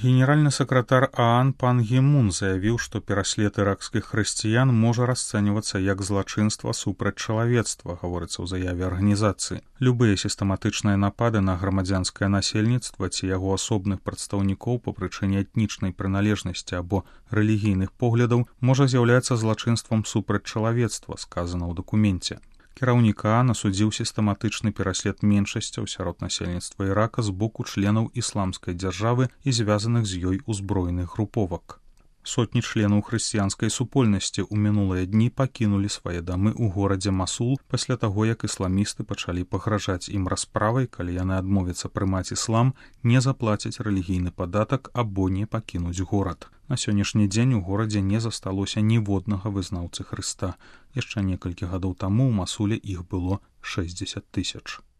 Генеральны сакратар ААН пан Гі Мун заявіў, што пераслед іракскіх хрысціян можа расцэньвацца як злачынства супраць чалавецтва, гаворыцца ў заяве арганізацыі. Любыя сістэматычныя напады на грамадзянскае насельніцтва ці яго асобных прадстаўнікоў па прычыне этнічнай прыналежнасці або рэлігійных поглядаў можа з'яўляцца злачынствам супраць чалавецтва, сказана ў дакуменце. Кіраўнік ААН асудзіў сістэматычны пераслед меншасцяў сярод насельніцтва Ірака з боку членаў ісламскай дзяржавы і звязаных з ёй узброеных груповак. Сотні членаў хрысціянскай супольнасці ў мінулыя дні пакінулі свае дамы ў горадзе Масул пасля таго, як ісламісты пачалі пагражаць ім расправай, калі яны адмовяцца прымаць іслам, не заплацяць рэлігійны падатак або не пакінуць горад. На сённяшні дзень у горадзе не засталося ніводнага вызнаўцы Хрыста. Яшчэ некалькі гадоў таму ў Масуле іх было 60 000.